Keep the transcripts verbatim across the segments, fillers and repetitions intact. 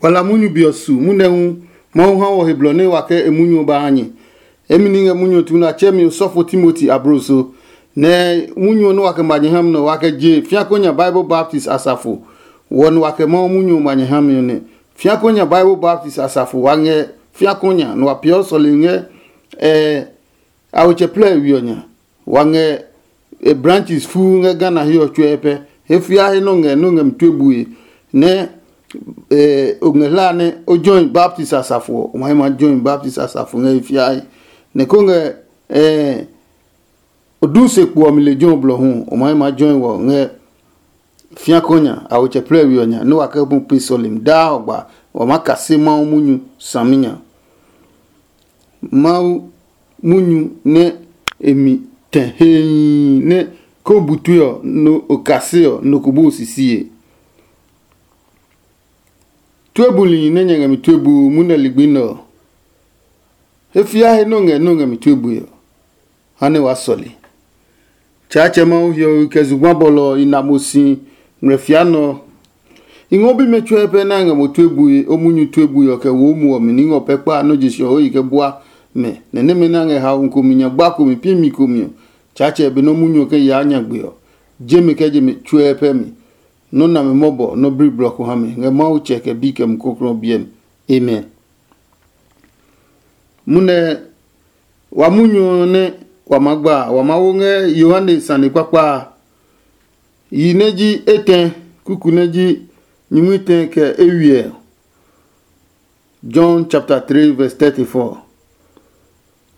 Wa la munyu be ɔ su munyu hu Mawu ha wɔ he blɔ nɛ wa kɛ e munyu ɔ ba ha nyɛ. Emi ni ngɛ munyu ɔ tu nɛ a tsɛ mi osɔfo Timoti abloso, nɛ munyu ɔ nɛ wa kɛ ma nyɛ ha mi nɛ wa kɛ je fiako nya Bible Baptist asafo wɔ nɛ wa kɛ Mawu munyu ɔ ma nyɛ ha mi ɔ nɛ. Fiako nya Bible Baptist asafo wa ngɛ fiako nya nɛ wa peeɔ sɔlemi ngɛ ɛ a we tsɛ plɛ we ɔ nya. Wa ngɛ e branches fuu ngɛ Ghana he ɔ tsuɛ pɛ. He fia he nɔ ngɛ nɔ ngɛ mi tue bue nɛ o ngɛ hla nɛ o join Baptist asafo ɔ, o ma he ma join Baptist asafo ngɛ he fia he. Nɛ ko ngɛ o du se kpo ɔ mi lejɛ ɔ blɔ hu, o ma he ma join wɔ ngɛ fiako nya a wo tsɛ plɛ we ɔ nya nɛ wa kɛ bu pe sɔlemi daa ɔgba wa ma kase Mawu munyu saminya. Mawu munyu nɛ e mi tɛ hee nɛ ko bu tue ɔ, nɔ o kase ɔ, nɔ ko bu o sisie. Tue buli nɛ nyɛ ngɛ mi tue bu munɛ ligbi nɛ ɔ, he fia he nɔ ngɛ nɔ ngɛ mi tue bue ɔ, ha nɛ waa sɔle. Tsaatsɛ Mawu hiɔwe kɛ zugba bɔlɔ ɔ i na mo si ngmlɛ fia nɔ ɔ. I ngɔ bimɛ tsuɛ pɛ nɛ a ngɛ mo tue bue o munyu tue bue ɔ kɛ wo o muɔ mi ní ngɔ pɛ kpa nɔ́ je sɔ o yi kɛ bua mɛ, nɛ nɛmɛ nɛ a ngɛ haomi komi nya gba komi pi mi komi ɔ, Tsaatsɛ be nɔ́ munyu ɔ kɛ yaa nyagbe ɔ, je mi kɛ je mi tsuɛ pɛ mi. Nɔ́ nami mɔbɔ nɔ́ bli blɔ ko ha mi ngɛ Mawu tsɛ kɛ bi kɛ Mumi Klɔuklɔu ɔ biɛ mi. Amen. Munɛ wa munyu ɔ nɛ wa maa gba a, wa maa wo ngɛ Yohane sane kpakpa a. Yi nɛ ji etɛ kuku nɛ ji nyingmi tɛ kɛ eywiɛ. John chapter three verse thirty-four.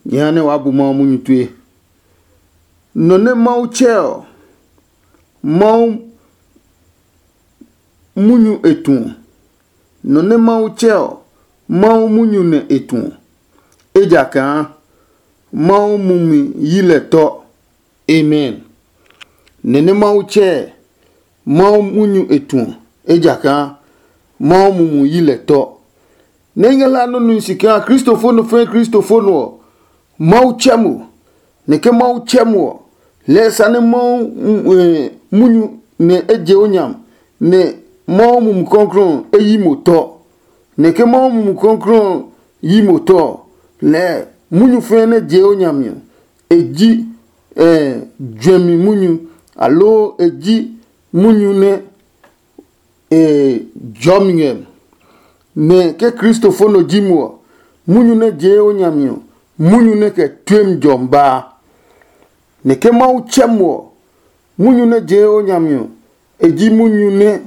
Nyɛ ha nɛ waa bu Mawu munyu tue. Nɔ nɛ Mawu tsɛ ɔ, Mawu munyu e tu ɔ. Nɔ nɛ Mawu tsɛ ɔ, Mawu munyu nɛ e tu ɔ, ejakaa Mawu mumi yi lɛ tɔ. Amen. Nɛ nɛ Mawu tsɛ ɛ, Mawu munyu e tu ɔ, ejakaa Mawu mumi yi lɛ tɔ. Nɛ i ngɛ hlaa nɔ́ nui si kaa Kristofo nɔ fɛɛ Kristofo nɔ ɔ, Mawu tsɛ mo, nɛ ke Mawu tsɛ mo ɔ, lɛɛ sa nɛ Mawu munyu nɛ e je o nyam, nɛ Mawu Mumi Klɔuklɔu ɔ e yi mo tɔ. Nɛ ke Mawu Mumi Klɔuklɔu ɔ yi mo tɔ ɔ, lɛɛ munyu fɛɛ nɛ je o nyami ɔ, e ji juɛmi munyu, aloo e ji munyu nɛ e jɔmi ngɛ. Nɛ ke Kristofo nɔ ji mo ɔ, munyu nɛ jee o nyami ɔ, munyu nɛ kɛ tuemi jɔmi baa. Nɛ ke Mawu tsɛ mo ɔ, munyu nɛ jee o nyami ɔ, e ji munyu nɛ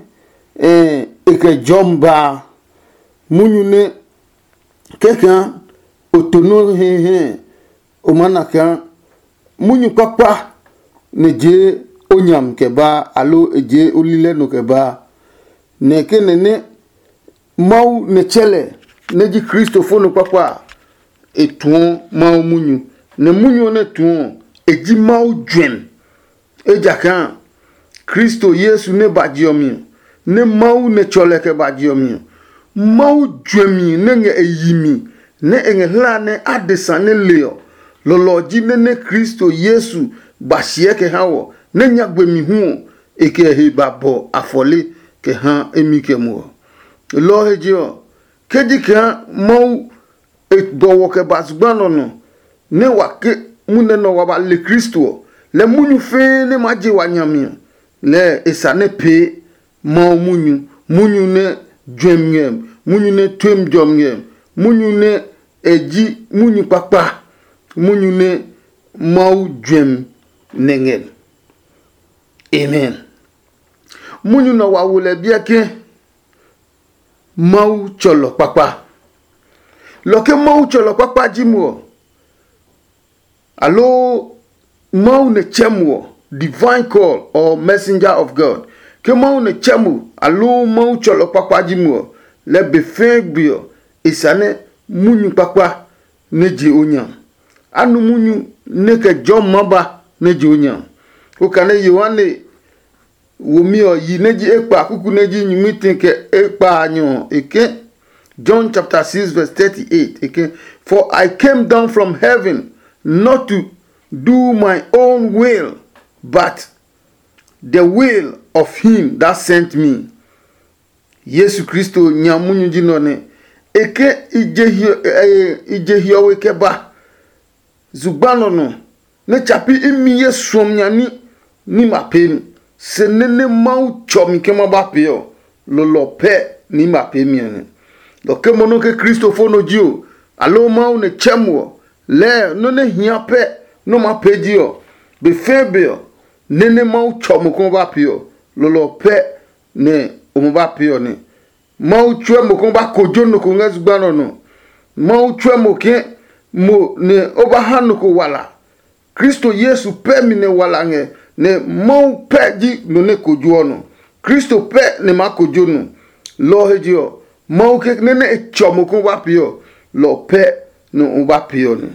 e kɛ jɔmi baa. Munyu nɛ kɛkaa o to nɔ́ hɛhɛ o maa na kaa munyu kpakpa nɛ jee o nyami kɛ baa, aloo e jee o lilɛ nɔ kɛ baa. Nɛ ke nɛ nɛ Mawu nɛ tsɛ lɛ nɛ ji Kristofo nɔ kpakpa a, e tuɔ Mawu munyu, nɛ munyu ɔ nɛ tuɔ ɔ, e ji Mawu juɛmi. Ejakaa Kristo Yesu nɛ ba je ɔ mi ɔ, nɛ Mawu nɛ tsɔ lɛ kɛ ba je ɔ mi ɔ, Mawu juɛmi nɛ ngɛ e yi mi, nɛ e ngɛ hlaa nɛ adesa nɛ le ɔ, lɔlɔ ɔ ji nɛ nɛ Kristo Yesu ba siɛ kɛ ha wɔ, nɛ nyagbe mi hu ɔ, e kɛ he ba bɔ afɔle kɛ ha emi kɛ mo ɔ. Lɔ ɔ he je ɔ, ke ji kaa Mawu e bɔ wɔ kɛ ba zugba nɔ nɔ, nɛ wa ke munɛ nɔ wa ba le Kristo ɔ, lɛ munyu fɛɛ nɛ maa je wa nyami ɔ, lɛɛ e sa nɛ pee Mawu munyu, munyu nɛ juɛmi ngɛ, munyu nɛ tuemi jɔmi ngɛ, munyu nɛ e ji munyu kpakpa, munyu nɛ Mawu juɛmi nɛ ngɛ. Amen. Munyu nɛ wa wo lɛ biɛ ke Mawu tsɔlɔ kpakpa. Lɔ ke Mawu tsɔlɔ kpakpa ji mo ɔ, aloo Mawu nɛ tsɛ mo ɔ, divine call or messenger of God. Ke Mawu nɛ tsɛ mo aloo Mawu tsɔlɔ kpakpa ji mo ɔ, lɛ be fɛɛ gbe ɔ, e sa nɛ munyu kpakpa nɛ je o nya. A nu munyu nɛ kɛ jɔmi ma ba nɛ je o nya. O kane Yohane womi ɔ yi nɛ ji ekpa kuku nɛ ji nyingmi tɛ kɛ ekpa a nyɔ ɔ, e ke. John chapter six verse thirty-eight, e ke, "For I came down from heaven not to do my own will, but the will of him that sent me." Yesu Kristo nya munyu ji nɔ nɛ e ke i je hiɔwe kɛ ba zugba nɔ nɔ, nɛ tsapi imi ye suɔmi nya ní ní ma pee mi. Se nɛ nɛ Mawu tsɔ mi ke ma ba pee ɔ, lɔlɔ pɛ ní ma pee mi ɔ nɛ. Lɔ ke mo nɔ ke Kristo fo nɔ ji o, aloo Mawu nɛ tsɛ mo ɔ, lɛɛ nɔ́ nɛ hia pɛ nɔ́ ma pee ji ɔ, be fɛɛ be ɔ, nɛ nɛ Mawu tsɔ mo ke ma ba pee ɔ, lɔlɔ pɛ nɛ o ma ba pee ɔ nɛ. Mawu tsuɛ mo ke o ba kojo nɔ ko ngɛ zugba nɔ nɔ. Mawu tsuɛ mo ke mo nɛ o ba ha nɔ ko wala. Kristo Yesu pɛ mi nɛ wala ngɛ, nɛ Mawu pɛ ji nɔ nɛ kojoɔ nɔ. Kristo pɛ nɛ maa kojo nɔ. Lɔ ɔ he je ɔ, Mawu kekle nɛ e tsɔ mo ke o ba pee ɔ, lɔ ɔ pɛ nɛ o ba pee ɔ nɛ.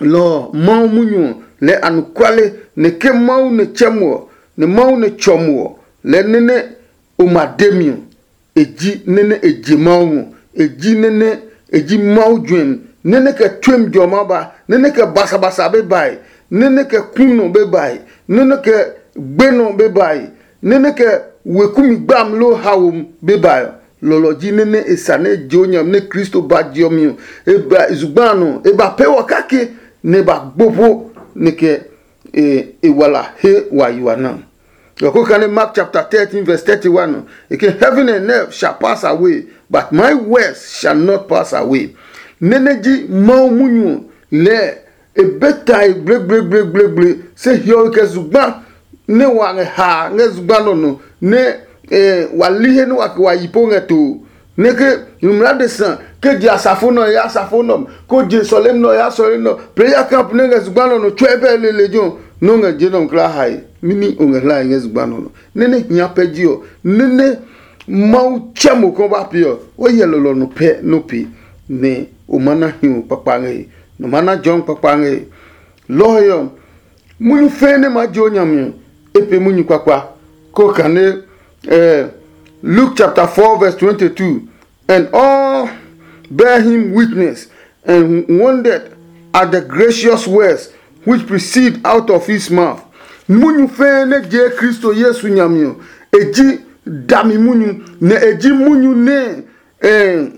Lɔ ɔ, Mawu munyu ɔ lɛɛ anɔkuale, nɛ ke Mawu nɛ tsɛ mo ɔ, nɛ Mawu nɛ tsɔ mo ɔ, lɛɛ nɛ nɛ o ma de mi ɔ, e ji nɛ nɛ e je Mawu ngɔ. E ji nɛ nɛ e ji Mawu juɛmi, nɛ nɛ kɛ tsuemi jɔma ba, nɛ nɛ kɛ basabasa be bae, nɛ nɛ kɛ kunɔ be bae, nɛ nɛ kɛ gbenɔ be bae, nɛ nɛ kɛ weku mi gbami loo haomi be bae ɔ. Lɔlɔ ji nɛ nɛ e sa nɛ e je o nyami nɛ Kristo ba je ɔ mi ɔ, e ba zugba a nɔ, e ba pee wɔ kake, nɛ e ba gbo po nɛ kɛ e e wala he wa yi wa na. Ɔ ko kane Mark chapter thirteen verse thirty-one ɔ, e ke, "Heaven and earth shall pass away, but my words shall not pass away." Nɛ nɛ ji Mawu munyu ɔ lɛɛ e be tae gblegblegblegblegle, se hiɔwe kɛ zugba nɛ wa ngɛ haa ngɛ zugba nɔ nɔ, nɛ eh, wa li he nɛ wa ke wa yi po ngɛ to. Nɛ ke nyumu adesa ke je asafo nɛ ɔ ya asafo nɛ ɔ, ko je sɔlemi nɛ ɔ ya sɔlemi nɛ ɔ, prayer camp nɛ ngɛ zugba nɔ nɔ tsuɛ bɛ lele jo nɛ o ngɛ je nɔ kla hae. Mɛni o ngɛ hlae ngɛ zugba nɔ nɔ? Nɛ nɛ hia pɛ ji ɔ, nɛ nɛ Mawu tsɛ mo kɔ ba pe ɔ, o hyɛ lɔlɔ nɔ pɛ nɔ pe, nɛ o ma na hiu kpakpa ngɛ he, nɔ ma na jɔmi kpakpa ngɛ he. Lɔ ɔ he ɔ, munyu fɛɛ nɛ maa je o nya mi ɔ, e pe munyu kpakpa. Ko kane eh, Luke chapter four verse twenty-two, "And all bear him witness and wondered at the gracious words which proceed out of his mouth." Munyu fɛɛ nɛ je Kristo Yesu nya mi ɔ, e ji dami munyu, nɛ e ji munyu nɛ eh,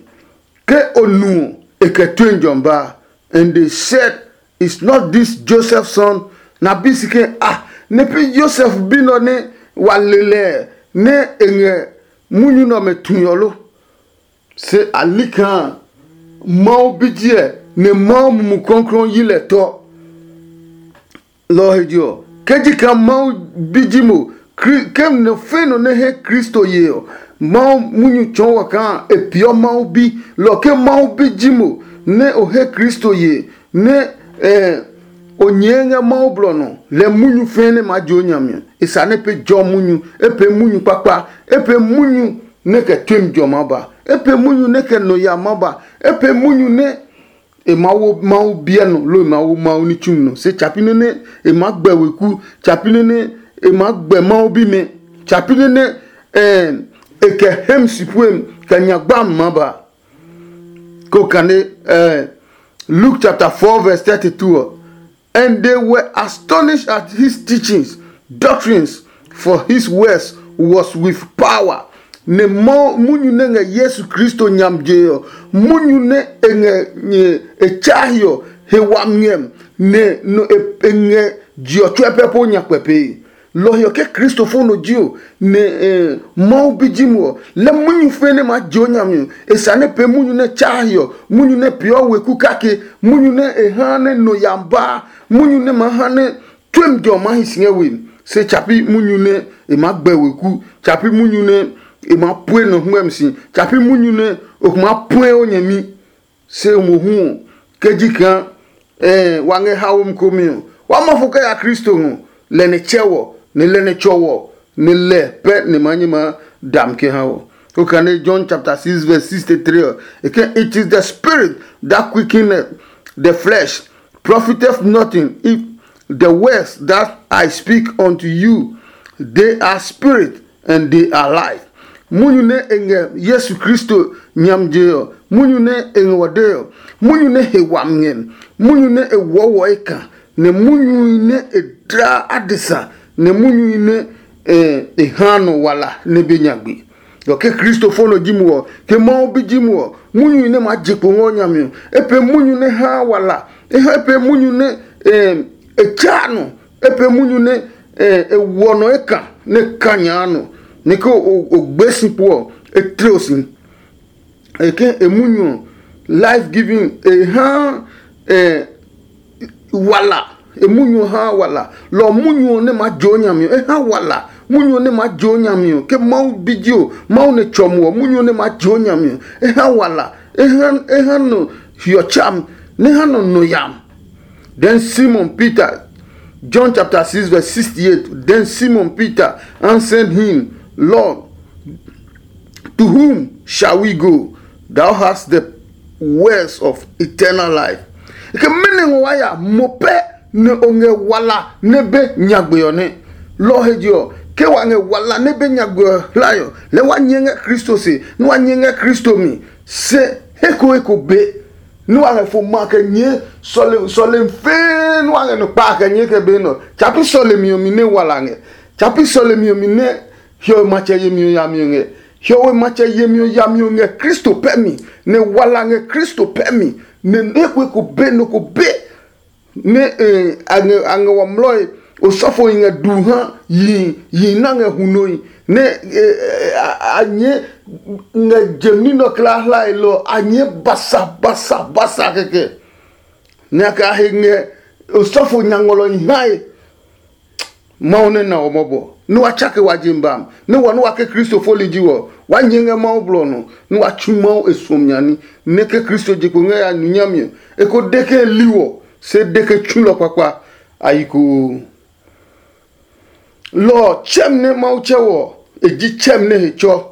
ke o nu ɔ, e kɛ tue jɔmi ba. And they said, "Is not this Joseph's son?" Na bi si ke, "Ah, nɛ pi Josef bi nɔ nɛ wa le lɛ nɛ e ngɛ munyu nɛ ɔmɛ tue ɔ lo?" Se a li kaa Mawu bi ji ɛ, nɛ Mawu Mumi Klɔuklɔu yi lɛ tɔ. Lɔ ɔ he je ɔ, ke ji kaa Mawu bi ji mo, ke nɔ fɛ̃ nɔ nɛ he Kristo ye ɔ, Mawu munyu tsɔɔ wɔ kaa e peeɔ Mawu bi. Lɔ ke Mawu bi ji mo, nɛ o he Kristo ye, nɛ o nyɛɛ ngɛ Mawu blɔ nɔ, lɛ munyu fɛ̃ nɛ maa je o nya mi ɔ, e sa nɛ e pee jɔ munyu, e pee munyu kpakpa, e pee munyu nɛ kɛ tue mi jɔ maa ba, e pee munyu nɛ kɛ nɔ ya maa ba, e pee munyu nɛ e maa wo Mawu biɛ nɔ, loo e maa wo Mawu ní tsumi nɔ. Se tsapi nɛ nɛ e maa gbɛ weku, tsapi nɛ nɛ e maa gbɛ Mawu bimɛ, tsapi nɛ nɛ e kɛ hem si puem kɛ nya gbami maa ba. Ko kane Luke chapter four verse thirty-two ɔ, "And they were astonished at his teachings, doctrines, for his words was with power." Nɛ munyu nɛ ngɛ Yesu Kristo nyam je ɔ, munyu nɛ e ngɛ e tsahi ɔ, he wami ngɛ, nɛ e ngɛ je ɔ tsuɛ pɛ po nyakpɛ pee. Lɔ ɔ he ɔ, ke Kristo fo nɔ ji o, nɛ Mawu bi ji mo ɔ, lɛ munyu fɛ̃ nɛ maa je o nya mi ɔ, e sa nɛ pee munyu nɛ tsaa he ɔ, munyu nɛ peeɔ weku kake, munyu nɛ e ha nɛ nɔ ya baa, munyu nɛ maa ha nɛ tue mi jɔ maa hi si ngɛ we mi. Se tsapi munyu nɛ e maa gbɛ weku, tsapi munyu nɛ e maa pue nɔ hwɛmi si, tsapi munyu nɛ o maa puɛ o nyɛmi. Se mohu ɔ, ke ji kaa wa ngɛ haomi komi ɔ, wa ma fo kɛ ya Kristo ngɔ, lɛ nɛ tsɛ wɔ, nɛ lɛ nɛ tsɔ wɔ, nɛ lɛ pɛ nɛ ma nyɛ ma dam kɛ ha wɔ. Okane John chapter six verse sixty-three ɔ, e ke, "It is the spirit that quickeneth, the flesh profiteth nothing. If the words that I speak unto you, they are spirit and they are life." Munyu nɛ e ngɛ Yesu Kristo nyam je ɔ, munyu nɛ e ngɛ wɔ de ɔ, munyu nɛ he wami ngɛ, munyu nɛ e wɔɔ wɔ e ka, nɛ munyu nɛ e dla adesa, nɛ munyu nɛ e ha nɔ wala nɛ be nyagbe. Dɔ ke Kristo fo nɔ ji mo ɔ, ke Mawu bi ji mo ɔ, munyu nɛ maa je kpo ngɛ o nya mi ɔ, e pee munyu nɛ haa wala, e ha e pee munyu nɛ e tsaa nɔ, e pee munyu nɛ e wɔ nɔ e ka nɛ e ka nyaa nɔ, nɛ ke o gbe si kpo ɔ, e tle o si. E ke e munyu ɔ, life giving, e ha wala. E munyu ɔ haa wala. Lɔ ɔ, munyu ɔ nɛ maa je o nya mi ɔ, e ha wala. Munyu ɔ nɛ maa je o nya mi ɔ, ke Mawu bi ji o, Mawu nɛ tsɔ mo ɔ, munyu ɔ nɛ maa je o nya mi ɔ, e ha wala. E ha e ha nɔ hiɔ tsam, nɛ ha nɔ nɔ yam. Then Simon Peter, John chapter six verse sixty-eight. Then Simon Peter answered him, Lord, to whom shall we go? Thou hast the words of eternal life. Ke mɛnɔ ngɔ wa ya mo pɛ nɛ o ngɛ wala nɛ be nyagbe ɔ nɛ. Lɔ he je ɔ, ke wa ngɛ wala nɛ be nyagbe ɔ hlae ɔ, lɛ wa nyɛ ngɛ Kristo se, nɛ wa nyɛ ngɛ Kristo mi. Se he ko he ko be nɛ wa ngɛ fo ma kɛ nyɛɛ sɔle sɔle fɛɛ nɛ wa ngɛ nɔ kpa kɛ nyɛɛ kɛ be nɔ. Tsapi sɔle mi ɔ mi nɛ wala ngɛ. Tsapi sɔle mi ɔ mi nɛ hiɔwe matsɛ yemi ɔ yami ɔ ngɛ. Hiɔwe matsɛ yemi ɔ yami ɔ ngɛ Kristo pɛ mi, nɛ wala ngɛ Kristo pɛ mi, nɛ nɛ ko ko be nɔ ko be nɛ a ngɛ wa mlɔe. Osɔfo yi ngɛ du ha yi yi na ngɛ hunoe nɛ a nyɛ ngɛ jemi nɔ kla hlae lɔ a nyɛ basa basa basa kɛkɛ. Nɛ a kɛ a he ngɛ osɔfo nya ngɔlɔ yi hae. Mawu nɛ na wɔ mɔbɔ, nɛ wa tsake wa je bam, nɛ wɔ nɛ wa ke Kristo foli ji wɔ, wa nyɛ ngɛ Mawu blɔ nɔ, nɛ wa tsu Mawu e suɔmi nya ní, nɛ ke Kristo je kpo ngɛ ya nu nyami ɔ, e ko de ke e li wɔ, se de ke tsulɔ kpakpa a yi koo. Lɔ ɔ, tsɛm nɛ Mawu tsɛ wɔ, e ji tsɛm nɛ he tsɔ.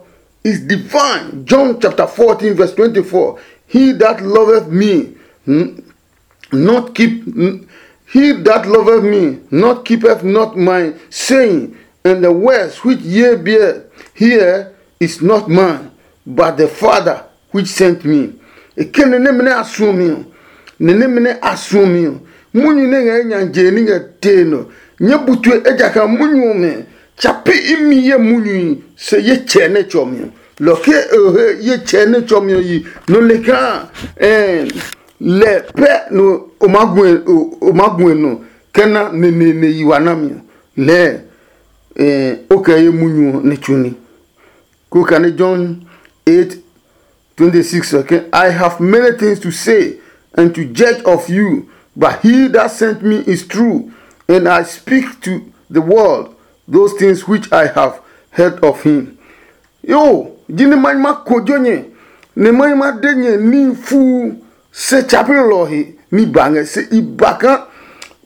Is divine. John chapter fourteen verse twenty-four. He that loveth me, not keep he that loveth me not keepeth not my saying, and the words which ye bear here is not mine, but the Father which sent me. E ke nɛ nɛmɛ nɛ a suɔ mi ɔ, nɛ nɛmɛ nɛ a suɔ mi ɔ, munyu nɛ ngɛ nya je ní ngɛ tee nɔ. Nyɛ bu tue ejakaa munyu ɔmɛ tsa pi imi ye munyui se ye tsɛ nɛ tsɔ mi ɔ. Lɔ ke e he ye tsɛ nɛ tsɔ mi ɔ yi nɔ le kaa ɛɛ lɛ pɛ no o ma gu o ma gu nɔ kɛ na neneene yi wa nami ɔ lɛɛ o kɛ ye munyu ɔ nɛ tsu ní. Ko kane John eight twenty six ɔ ke, I have many things to say and to judge of you, but he that sent me is true, and I speak to the world those things which I have heard of him. Yo, ji ni ma ma kojo nyɛ, ni ma ma de nyɛ ni fu se chapel lɔ he ni ba ngɛ se i ba ka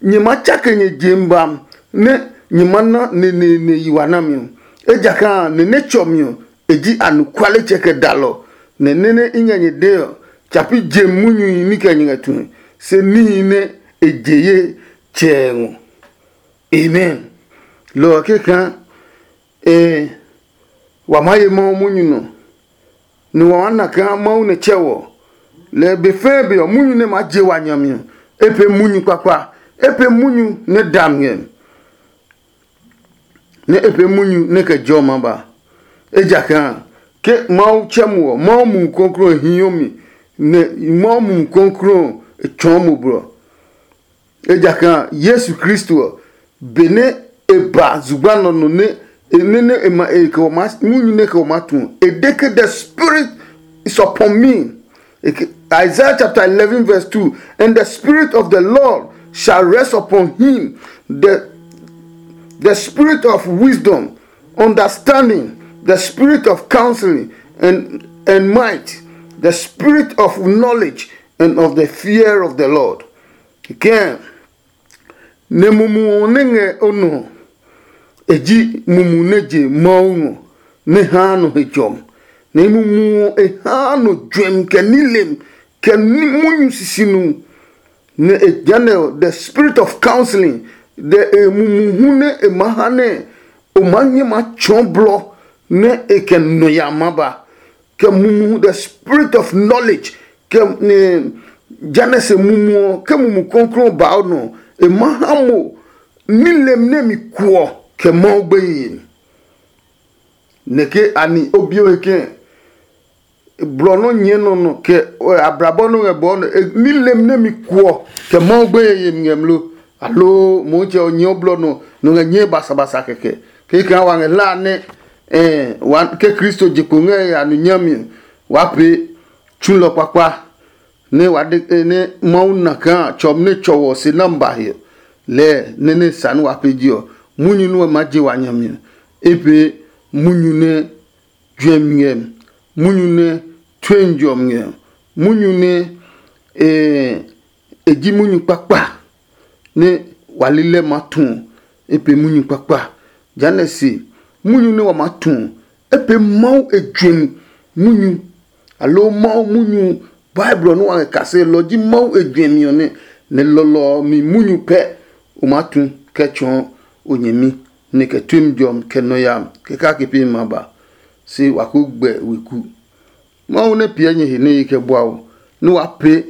nyɛ ma tsake nyɛ je ba ne nyɛ ma na ne ne ne yi wa na mi. Ejakaa ne ne tsɔ mi ɔ, e ji anukwale tsɛ kɛ dalɔ, nɛ nene i ngɛ nyɛ de ɔ, tsapi je munyuhi ní kɛ nyɛ ngɛ tue, se níhi nɛ e je ye tsɛɛ ngɔ. Amen. Lɔ ɔ keka ee, wa maa ye Mawu munyu nɔ, nɛ wa maa na kaa Mawu nɛ tsɛ wɔ. Lɛ be fɛɛ be ɔ, munyu nɛ maa je wa nya mi ɔ, e pee munyu kpakpa, e pee munyu nɛ da ngɛ, nɛ e pee munyu nɛ kɛ jɔ ma ba. Ejakaa ke Mawu tsɛ mo ɔ, Mawu Mumi Klɔuklɔu hio mi, nɛ Mawu Mumi Klɔuklɔu e tsɔɔ mo blɔ. Ejakaa Yesu Kristo ɔ, benɛ e ba zugba nɔ nɔ nɛ e nene e ma e kɛ wɔ ma munyu nɛ kɛ wɔ ma tu, e de ke, the Spirit is upon me. Isaiah chapter eleven verse two, and the Spirit of the Lord shall rest upon him, the the Spirit of wisdom, understanding, the Spirit of counseling, and and might, the Spirit of knowledge, and of the fear of the Lord. Kɛkɛ nɛ mumi ɔ nɛ ngɛ o nɔ ɔ, e ji mumi nɛ je Mawu ngɔ nɛ haa nɔ he jɔmi, nɛ mumi ɔ e haa nɔ juɛmi kɛ nilem kɛ munyu sisinu. Nɛ e jehanɛ ɔ, the spirit of counseling, the e mumi hu nɛ e maa ha nɛ o maa nyɛ maa tsɔɔ blɔ nɛ e kɛ nɔ ya maa ba, kɛ mumi hu, the spirit of knowledge, kɛ jehanɛ se mumi ɔ ke mumi klɔuklɔu ba o nɔ, e maa ha mo nilem nɛ mi kuɔ kɛ Mawu gbeye. Nɛ ke ani o bi o he kɛ̃, blɔ nɔ nyɛɛ nɔ nɔ kɛ abrabɔ nɔ ngɛ bɔɔ nɔ, ní lem nɛ mi kuɔ kɛ Mawu gbeye yemi ngɛ mlo, aloo Motsɛ ɔ nyɛɛ blɔ nɔ nɔ ngɛ nyɛɛ basabasa kɛkɛ. Kekɛ wa ngɛ hla nɛ ke Kristo je kpo ngɛ ya nu nyami, waa pee tsulɔ kpakpa nɛ wa de nɛ Mawu na kaa tsɔm nɛ tsɔ wɔ se nami ba he lɛɛ nɛ nɛ sa nɛ wa pee je ɔ, munyu nɛ wa ma je wa nyami ɔ, e pee munyu nɛ juɛmi ngɛ, munyu nɛ tue njɔmi ngɛ, munyu nɛ e ji munyu kpakpa nɛ wa lilɛ ma tu ɔ, e pee munyu kpakpa. Jehanɛ se munyu nɛ wa maa tu ɔ, e pee Mawu e juɛmi munyu, aloo Mawu munyu. Bible ɔ nɛ wa ngɛ kase lɔ ji Mawu e juɛmi ɔ nɛ, nɛ lɔlɔ ɔ mi munyu pɛ o maa tu kɛ tsɔɔ o nyɛmi, nɛ kɛ tuemi jɔmi kɛ nɔ yami kɛ kake pee ma ba. Se wa ko gbɛ weku. Mawu nɛ piɛ nyɛ he nɛ ye kɛ bua o, nɛ wa pee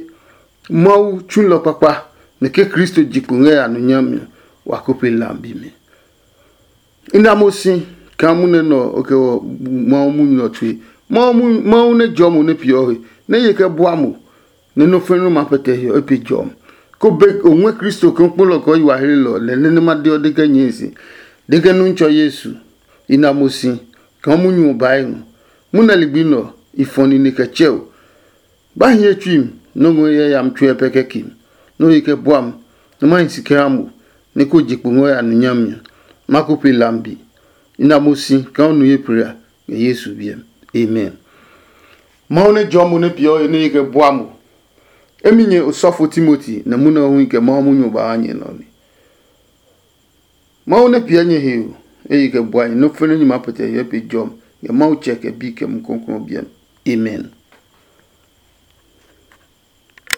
Mawu tsulɔ kpakpa, nɛ ke Kristo je kpo ngɛ ya nɔ nyami ɔ, wa ko pe lambi mi. I na mo si kaa munɛ nɛ ɔ kɛ wɔ Mawu munyu ɔ tue. Mawu nɛ jɔ mo nɛ piɛ ɔ he, nɛ ye kɛ bua mo, nɛ nɔ́ fɛ̃ nɔ́ maa pɛtɛ hiɔ e pe jɔmi. Ko be o ngɔɛ Kristo kaa kpolɔ kɛ ɔ yi wa hlelɔ lɛ nɛ nɛ ma de ɔ de kɛ nyɛe se, de kɛ Nuntsɔ Yesu, i na mo si kaa munyu ɔ bae ngɔ. Munɛ ligbi nɛ ɔ, i fɔ nine kɛ tsɛ o. Ba hiɛ tsui mi nɔ́ ngɔ yayami tsuɛ pɛ kɛ ke mi, nɔ́ ye kɛ bua mi, nɛ ma hi si kɛ ha mo, nɛ ko je kpo ngɔ ya nu nyami ɔ. Ma ko pe lambi. I na mo si kaa o nu ye plela ngɛ Yesu biɛ mi. Amen. Mawu nɛ jɔɔ mo nɛ piɛ o he nɛ ye kɛ bua mo. Emi nyɛ osɔfo Timoti nɛ munɛ ɔ hu kɛ Mawu munyu ba ha nyɛ nɔ ni. Mawu nɛ piɛ nyɛ he o, eye kɛ bua nyɛ nɔ́ fɛnɛ nyɛ maa pɛtɛ hyɛ pe jɔmi ngɛ Mawu Tsɛ kɛ Bi kɛ Mumi Klɔuklɔu ɔ biɛ mi. Amen.